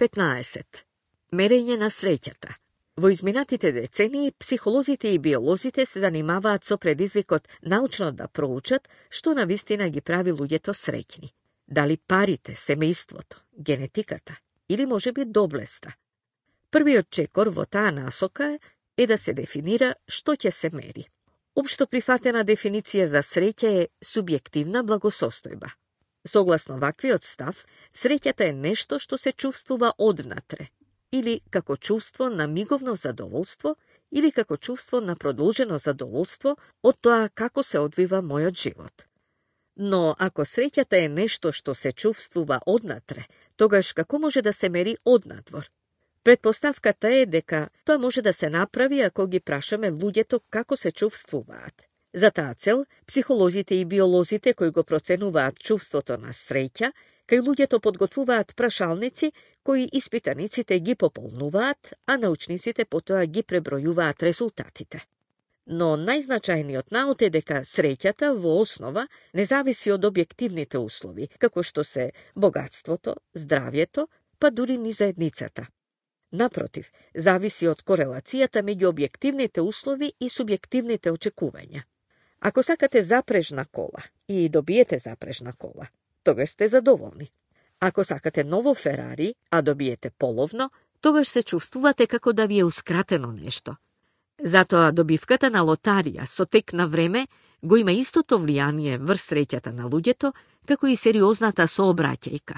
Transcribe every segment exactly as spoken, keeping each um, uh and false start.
петнаесет. Мерење на среќата. Во изминатите децении, психолозите и биолозите се занимаваат со предизвикот научно да проучат што навистина ги прави луѓето среќни. Дали парите, семејството, генетиката или можеби доблеста. Првиот чекор во таа насока е да се дефинира што ќе се мери. Општо прифатена дефиниција за среќа е субјективна благосостојба. Согласно ваквиот став, среќата е нешто што се чувствува одвнатре, или како чувство на миговно задоволство, или како чувство на продолжено задоволство од тоа како се одвива мојот живот. Но ако среќата е нешто што се чувствува однатре, тогаш како може да се мери однадвор? Предпоставката е дека тоа може да се направи ако ги прашаме луѓето како се чувствуваат. За таа цел, психолозите и биолозите кои го проценуваат чувството на среќа, кај луѓето подготвуваат прашалници кои испитаниците ги пополнуваат, а научниците потоа ги пребројуваат резултатите. Но најзначајниот наут е дека среќата во основа не зависи од објективните услови, како што се богатството, здравјето, па дури ни заедницата. Напротив, зависи од корелацијата меѓу објективните услови и субјективните очекувања. Ако сакате запрежна кола и добиете запрежна кола, тогаш сте задоволни. Ако сакате ново Ферари, а добиете половно, тогаш се чувствувате како да ви еускратено нешто. Затоа добивката на лотарија со тек на време го има истото влијание врз среќата на луѓето, како и сериозната сообраќајка.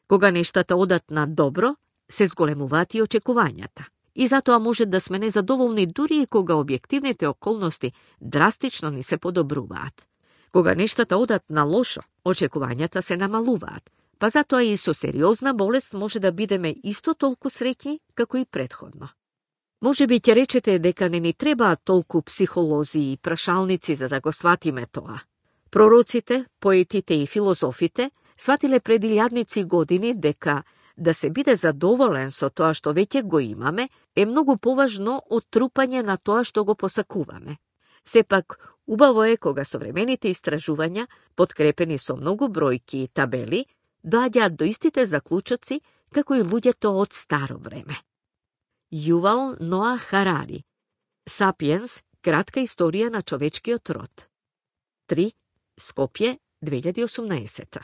Кога нештата одат на добро, се зголемуваат и очекувањата. И затоа може да сме незадоволни дури и кога објективните околности драстично ни се подобруваат. Кога нештата одат на лошо, очекувањата се намалуваат, па затоа и со сериозна болест може да бидеме исто толку среќни како и претходно. Може би ќе речете дека не ни требаат толку психолози и прашалници за да го сватиме тоа. Пророците, поетите и филозофите сватиле пред илјадници години дека да се биде задоволен со тоа што веќе го имаме е многу поважно од трупање на тоа што го посакуваме. Сепак, убаво е кога современите истражувања, подкрепени со многу бројки и табели, доаѓаат до истите заклучоци како и луѓето од старо време. Јувал Ноа Харари. Сапиенс, кратка историја на човечкиот род. три. Скопје, две илјади и осумнаесета.